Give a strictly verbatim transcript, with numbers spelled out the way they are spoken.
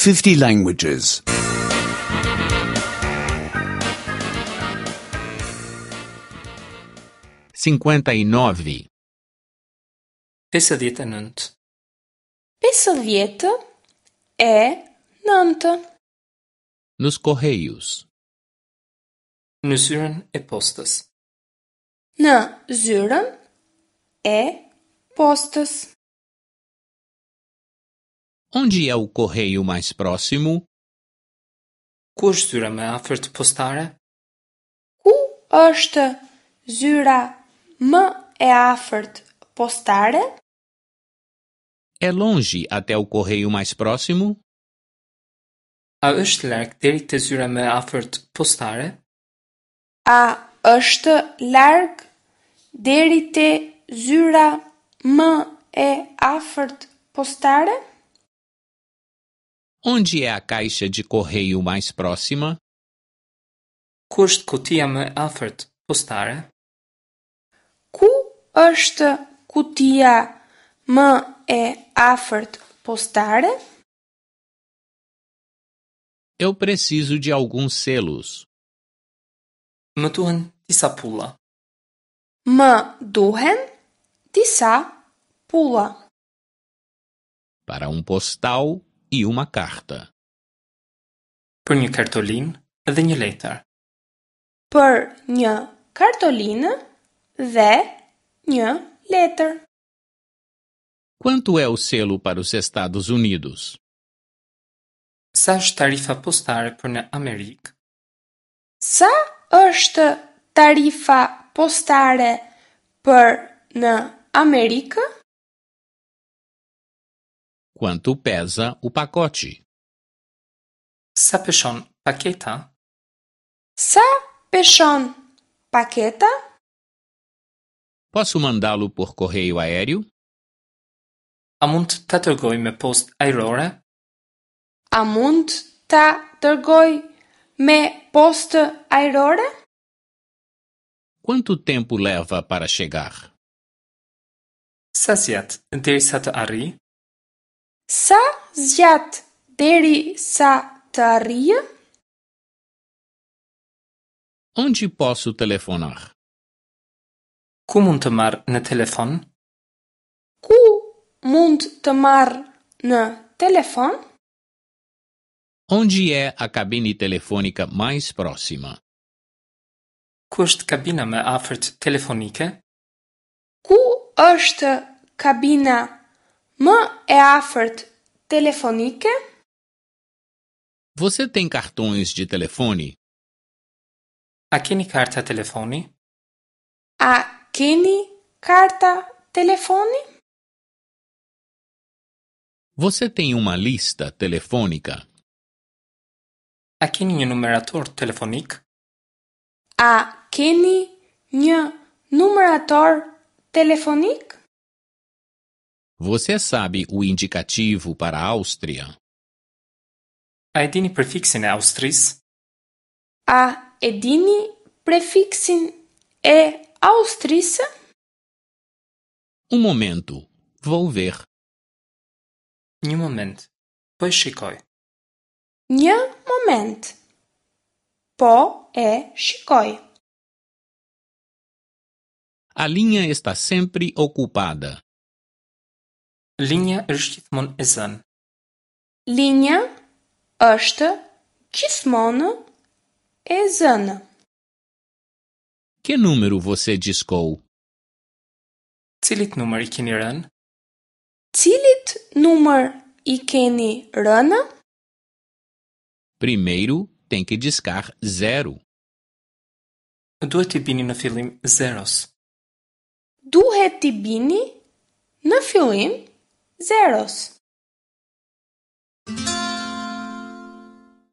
fifty languages. cinquenta e nove, pesëdhjetë e nëntë, Pesëdhjetë e nëntë. Nos correios, Në zyrën e postës. Në zyrën e postës. Onde é o correio mais próximo? Ku është zyra më e afërt postare? Ku është zyra më e afërt postare? É longe até o correio mais próximo? A është larg deri te zyra më e afërt postare? A është larg deri te zyra më e afërt postare? Onde é a caixa de correio mais próxima? Ku është kutia më e afërt postare? Ku është kutia më e afërt postare? Eu preciso de alguns selos. Më duhen disa pulla. Më duhen disa pulla. Para um postal e uma carta. Për një kartolinë dhe një letër. Për një kartolinë dhe një letër. Quanto é o selo para os Estados Unidos? Sa është tarifa postare për në Amerikë? Sa është tarifa postare për në Amerikë? Quanto pesa o pacote? Sa peshon paketa? Sa peshon paketa? Posso mandá-lo por correio aéreo? A mund ta dërgoj me postë ajrore? A mund ta dërgoj me postë ajrore? Quanto tempo leva para chegar? Sa zgjat derisa të arrijë? Sa zgjat derisa të arrijë? Onde posso telefonar? Ku mund të marr në telefon? Ku mund të marr në telefon? Onde é a cabine telefônica mais próxima? Ku është kabina më e afërt telefonike? Ku është kabina më e afërt telefonike? Você tem cartões de telefone? A keni karta telefoni? A keni karta telefoni? Você tem uma lista telefônica? A keni një numerator telefonik? A keni një numerator telefonik? Você sabe o indicativo para a Áustria? A e dini prefiksin e Austrisë? A e dini prefiksin e Austrisë? Um momento, vou ver. Një moment, po e shikoj. Një moment. Po e shikoj. A linha está sempre ocupada. Linja është gjithmonë e zënë. Linja është gjithmonë e zënë. Que número você discou? Cilit numër i keni rënë? Cilit numër i keni rënë? Primeiro tem que discar zero. Duhet t'i bini në fillim zeros. Duhet t'i bini në fillim zeros.